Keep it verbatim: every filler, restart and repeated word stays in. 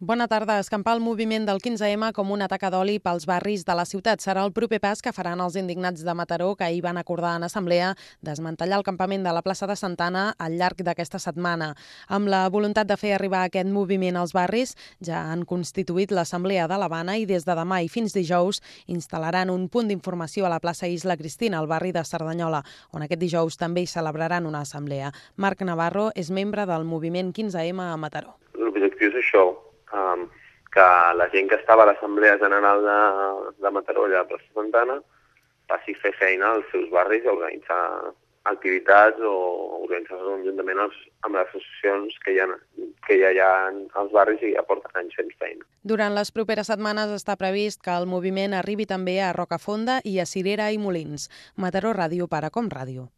Bona tarda. Escampar el moviment del quinze ema com una taca d'oli pels barris de la ciutat serà el proper pas que faran els indignats de Mataró, que ahir van acordar en assemblea desmantellar el campament de la plaça de Santa Anna al llarg d'aquesta setmana. Amb la voluntat de fer arribar aquest moviment als barris, ja han constituït l'Assemblea de l'Havana i des de demà i fins dijous instal·laran un punt d'informació a la plaça Isla Cristina, al barri de Cerdanyola, on aquest dijous també hi celebraran una assemblea. Marc Navarro és membre del moviment quinze ema a Mataró. L'objectiu és això, Um, que la gent que estava a l'Assemblea General de, de Mataró, allà a Plaça Santa Anna, passi a fer feina als seus barris i organitzar activitats o organitzar conjuntament els, amb les associacions que, hi ha, que ja hi ha als barris i ja porten anys fent feina. Durant les properes setmanes està previst que el moviment arribi també a Rocafonda i a Cirera i Molins. Mataró Ràdio per a Com Ràdio.